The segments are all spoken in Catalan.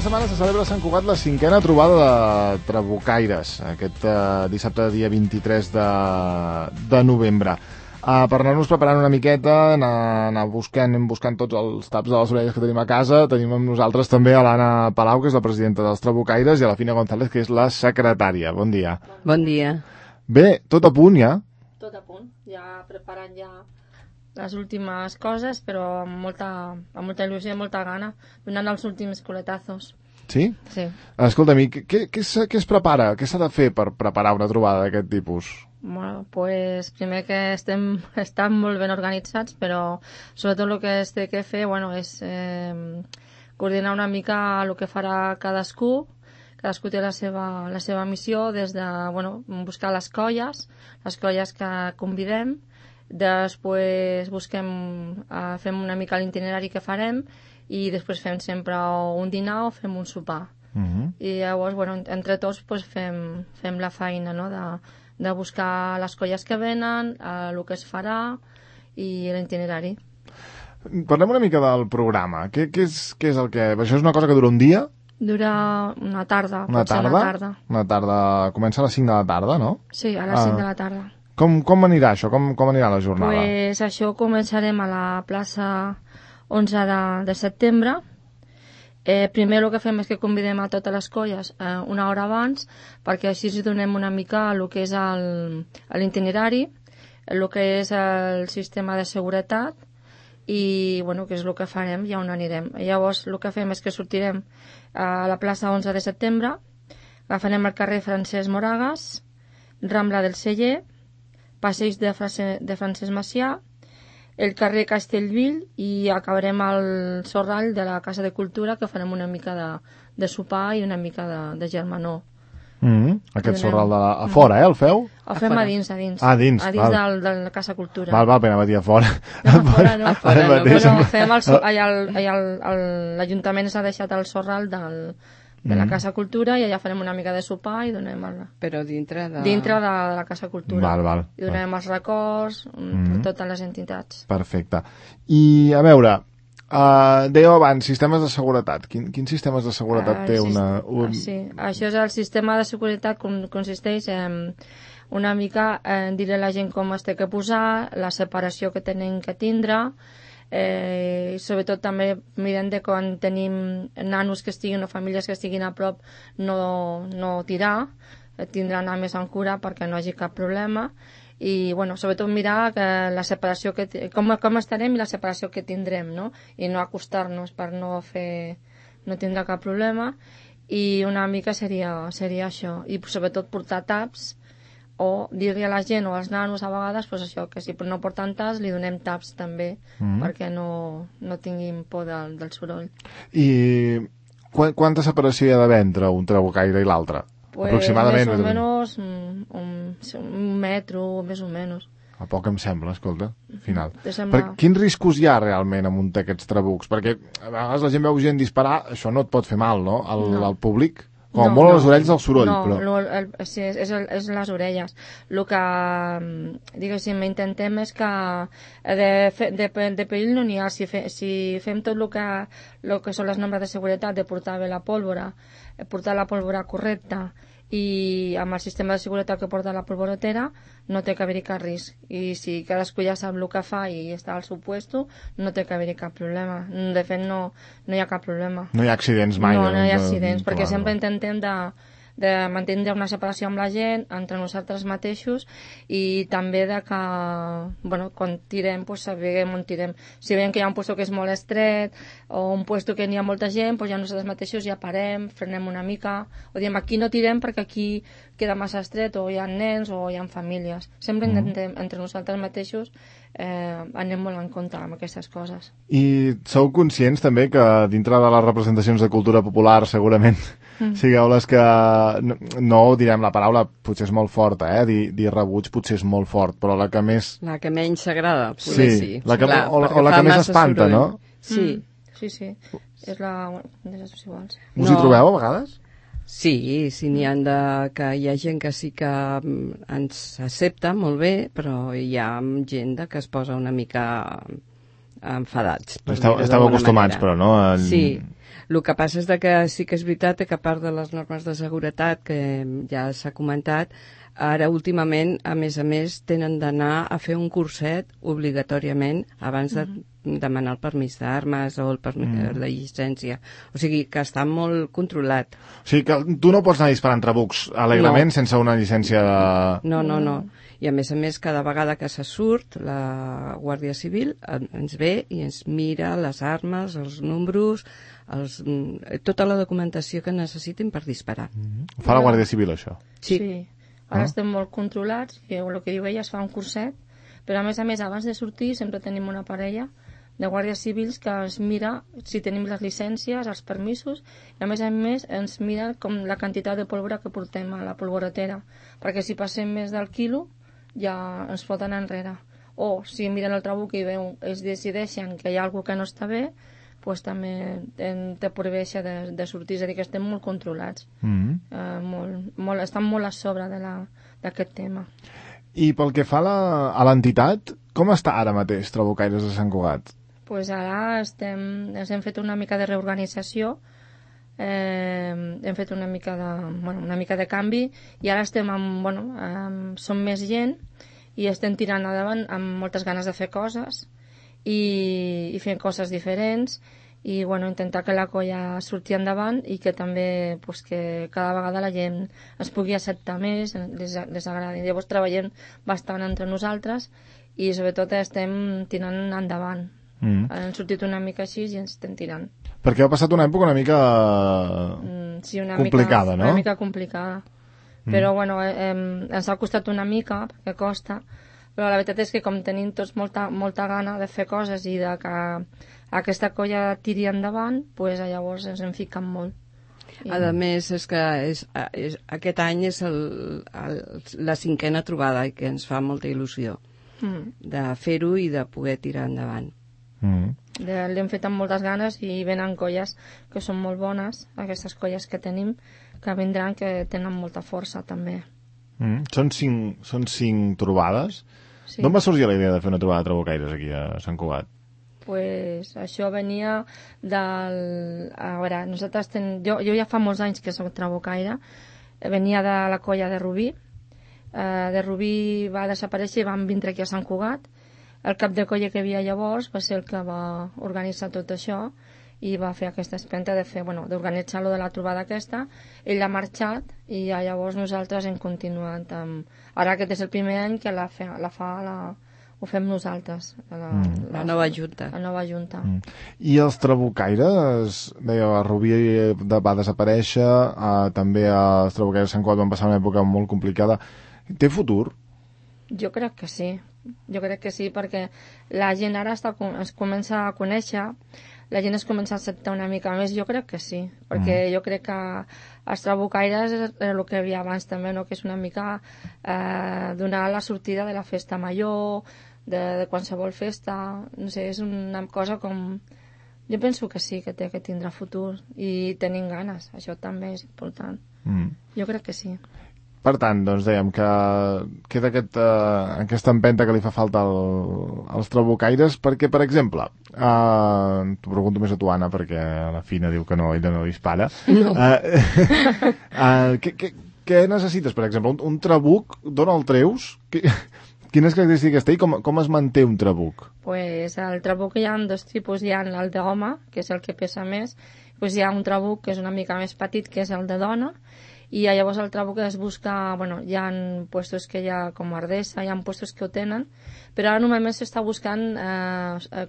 setmana se celebra a Sant Cugat la 5a trobada de trabucaires, aquest dissabte dia 23 de novembre. Per anar-nos preparant una miqueta, anar buscant tots els taps de les orelles que tenim a casa, tenim amb nosaltres també a l'Anna Palau, que és la presidenta dels trabucaires, i a la Fina González, que és la secretària. Bon dia. Bon dia. Bé, tot a punt ja? Tot a punt, ja preparant ja les últimes coses, però amb molta il·lusió i molta gana, donant els últims coletazos. Sí? Sí. Escolta'm, què es prepara? Què s'ha de fer per preparar una trobada d'aquest tipus? Bueno, pues primer que estan molt ben organitzats, però sobretot el que es té que fer, bueno, és coordinar una mica el que farà cadascú. Cadascú té la seva missió, des de buscar les colles que convidem. Després fem una mica l'itinerari que farem i després fem sempre un dinar o fem un sopar. I llavors, entre tots fem la feina, no? de buscar les colles que venen, el que es farà i l'itinerari. Parlem una mica del programa. Què és el que... Això és una cosa que dura un dia? Dura una tarda. Una tarda. Comença a les 5 de la tarda, no? Sí, a les 5 de la tarda. Com anirà això? Com anirà la jornada? Pues això començarem a la plaça 11 de setembre. Primer el que fem és que convidem a totes les colles una hora abans, perquè així els donem una mica el que és l'itinerari, el que és el sistema de seguretat i que és el que farem i on anirem. Llavors el que fem és que sortirem a la plaça 11 de setembre, agafarem el carrer Francesc Moragas, Rambla del Celler, Passeig de Francesc Macià, el carrer Castellvell i acabarem al Sorrall de la Casa de Cultura, que farem una mica de sopar i una mica de germanor. Aquest Sorrall a fora, el feu? El fem a dins. A dins de la Casa Cultura. Val, pena va dir a fora. No, a fora no. Fem l'Ajuntament s'ha deixat el Sorrall de la Casa Cultura i allà farem una mica de sopar i donem... Però dintre de la Casa Cultura. Val. I donem els records per totes les entitats. Perfecte. I, a veure, dèieu abans, sistemes de seguretat. Quins sistemes de seguretat té una... Sí, això és el sistema de seguretat, consisteix en una mica dir a la gent com es té que posar, la separació que tenen que tindre, sobretot també mirem de quan tenim nanos que estiguin o famílies que estiguin a prop no tirar, tindrà anar més en cura perquè no hi hagi cap problema i sobretot mirar que la separació com estarem i la separació que tindrem, no? I no acostar-nos per no tindre cap problema i una mica seria això i sobretot portar taps o dir-li a la gent o als nanos a vegades això, que si no porten taps li donem taps també perquè no tinguin por del soroll. I quanta separació hi ha d'haver entre un trabucaire i l'altre? Aproximadament? Més o menys un metro, més o menys. A poc em sembla, escolta, final. Quins riscos hi ha realment amb un d'aquests trabucs? Perquè a vegades la gent veu gent disparar, això no et pot fer mal, no? Al públic? Com molt a les orelles del soroll, però... Sí, és les orelles. El que, diguéssim, intentem és que de perill no n'hi ha. Si fem tot el que són les normes de seguretat, de portar bé la pólvora, portar la pólvora correcta i amb el sistema de seguretat que porta la polvorotera no té que haver-hi cap risc i si cadascú ja sap el que fa i està al seu puesto no té que haver-hi cap problema. De fet no hi ha cap problema. No hi ha accidents mai. No hi ha accidents perquè sempre intentem de mantenir una separació amb la gent entre nosaltres mateixos i també de que quan tirem sabem on tirem. Si veiem que hi ha un puesto que és molt estret o un puesto que n'hi ha molta gent, ja nosaltres mateixos ja parem, frenem una mica o diem aquí no tirem perquè aquí queda massa estret o hi ha nens o hi ha famílies. Sempre intentem entre nosaltres mateixos anem molt en compte amb aquestes coses. I sou conscients també que dintre de les representacions de cultura popular segurament sigueu les que no direm la paraula, potser és molt forta, dir rebuig potser és molt fort, però la que més... La que menys s'agrada, potser sí. La que més espanta, no? Sí. Sí. És la... Us hi trobeu a vegades? Sí, n'hi ha que hi ha gent que sí que ens accepta molt bé, però hi ha gent que es posa una mica enfadats. Esteu acostumats, però, no? Sí, El que passa és que sí que és veritat que a part de les normes de seguretat que ja s'ha comentat, ara últimament, a més, tenen d'anar a fer un curset obligatòriament abans de demanar el permís d'armes o el permís de llicència. O sigui que està molt controlat. O sigui que tu no pots anar disparant trabucs alegrement sense una llicència de... No. I a més, cada vegada que se surt, la Guàrdia Civil ens ve i ens mira les armes, els números, tota la documentació que necessitin per disparar. Ho fa la Guàrdia Civil, això? Sí. Ara estem molt controlats, i el que diu ella es fa un curset, però a més, abans de sortir sempre tenim una parella de guàrdies civils que ens mira si tenim les llicències, els permisos, i a més ens mira com la quantitat de pólvora que portem a la polvoretera, perquè si passem més del quilo ja ens foten enrere. O si miren el trabuc i es decideixen que hi ha alguna que no està bé, pues també te prohibeix de sortir, és a dir, que estem molt controlats. Estan molt a sobre d'aquest tema. I pel que fa a l'entitat, com està ara mateix Trabucaires de Sant Cugat? Pues ara ens hem fet una mica de reorganització, hem fet una mica de canvi, i ara estem som més gent i estem tirant endavant amb moltes ganes de fer coses i fent coses diferents i intentar que la colla surti endavant i que també que cada vegada la gent es pugui acceptar més, les agradi. Llavors treballem bastant entre nosaltres i sobretot estem tirant endavant. Han sortit una mica així i ens estem tirant. Perquè ha passat una època una mica complicada, no? Una mica complicada. Però ens ha costat una mica, perquè costa, però la veritat és que com tenim tots molta gana de fer coses i de que aquesta colla tiri endavant, pues llavors ens en fiquen molt. A més, és que aquest any és la 5a trobada i que ens fa molta il·lusió de fer-ho i de poder tirar endavant. L'hem fet amb moltes ganes i venen colles que són molt bones, aquestes colles que tenim, que vindran, que tenen molta força també. Són 5 trobades? Sí. D'on va sorgir la idea de fer una trobada de trabucaires aquí a Sant Cugat? Pues això venia del... A veure, nosaltres jo ja fa molts anys que soc trabucaire, venia de la colla de Rubí. De Rubí va desaparèixer i van vindre aquí a Sant Cugat. El cap de colla que hi havia llavors va ser el que va organitzar tot això i va fer aquesta espenta d'organitzar-lo de la trobada aquesta. Ell ha marxat i llavors nosaltres hem continuat amb... Ara aquest és el primer any que ho fem nosaltres, la nova junta. La nova junta. I els trabucaires, deia, Rubí va desaparèixer, també els trabucaires de Sant Cugat van passar una època molt complicada. Té futur? Jo crec que sí, perquè la gent ara es comença a conèixer, la gent es comença a acceptar una mica més, jo crec que sí, perquè jo crec que els trabucaires és el que hi havia abans també, no? Que és una mica donar la sortida de la festa major, de qualsevol festa, no sé, és una cosa com... Jo penso que sí, que té que tindrà futur i tenim ganes, això també és important. Jo crec que sí. Per tant, doncs dèiem que queda aquesta empenta que li fa falta als trabucaires, perquè, per exemple, t'ho pregunto més a tu, Anna, perquè la Fina diu que no, ella no dispara. No. Què necessites, per exemple? Un trabuc, d'on el treus? Quines característiques té i com es manté un trabuc? Pues el trabuc hi ha dos tipus, hi ha el d'home, que és el que pesa més, pues hi ha un trabuc que és una mica més petit, que és el de dona, i llavors el trabuc es busca, hi ha puestos que hi ha com Ardessa, hi ha puestos que ho tenen, però ara normalment s'està buscant,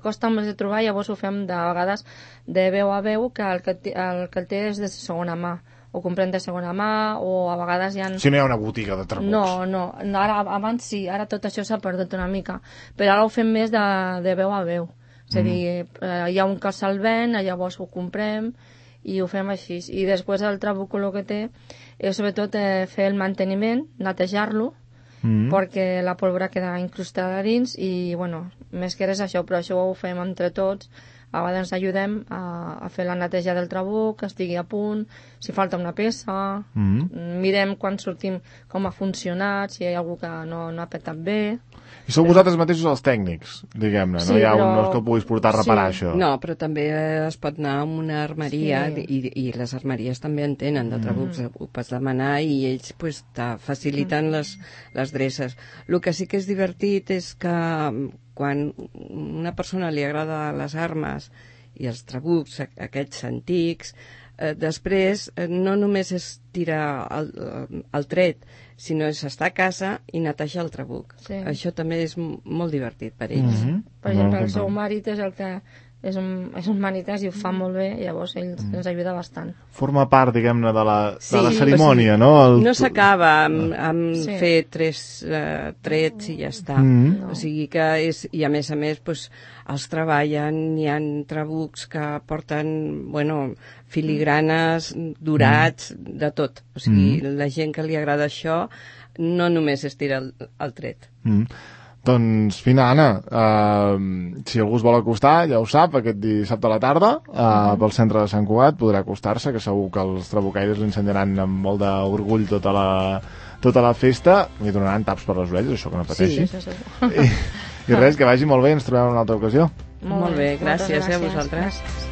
costa més de trobar, llavors ho fem de vegades de veu a veu, que el que el té és de segona mà, ho comprem de segona mà, o a vegades hi ha... Si no hi ha una botiga de trabucs. No, abans sí, ara tot això s'ha perdut una mica, però ara ho fem més de veu a veu, és a dir, hi ha un que se'l ven, llavors ho comprem, i ho fem així. I després el trabuc el que té és sobretot fer el manteniment, netejar-lo, perquè la pólvora queda incrustada dins i, més que res això, però això ho fem entre tots, a vegades ajudem a fer la neteja del trabuc, que estigui a punt, si falta una peça, mirem quan sortim com ha funcionat, si hi ha algú que no ha petat bé. I sou vosaltres mateixos els tècnics, diguem-ne, Sí, no hi ha però... no és que ho puguis portar a reparar, Sí. això. No, però també es pot anar a una armeria Sí. i les armeries també en tenen de trabucs, ho pots demanar i ells pues, te faciliten les dreces. El que sí que és divertit és que quan una persona li agrada les armes i els trabucs, aquests antics, després no només és tirar el tret, sinó és estar a casa i netejar el trabuc. Sí. Això també és molt divertit per ells. Per exemple, el seu marit és el que és un manitès i ho fa molt bé, llavors ell ens ajuda bastant. Forma part, diguem-ne, de la Sí, cerimònia, o sigui, no? No s'acaba amb Sí. fer 3 trets i ja està. No. O sigui que és... I a més, pues, els treballen, hi ha trabucs que porten, filigranes, dorats, de tot. O sigui, la gent que li agrada això no només es tira el tret. Doncs, fina, Anna, si algú es vol acostar, ja ho sap, aquest dissabte a la tarda, pel centre de Sant Cugat, podrà acostar-se, que segur que els trabucaires l'ensenyaran amb molt d'orgull tota la festa, li donaran taps per les orelles, això que no pateixi. Sí, això segur. I res, que vagi molt bé, ens trobem en una altra ocasió. Molt bé, gràcies a vosaltres. Gràcies.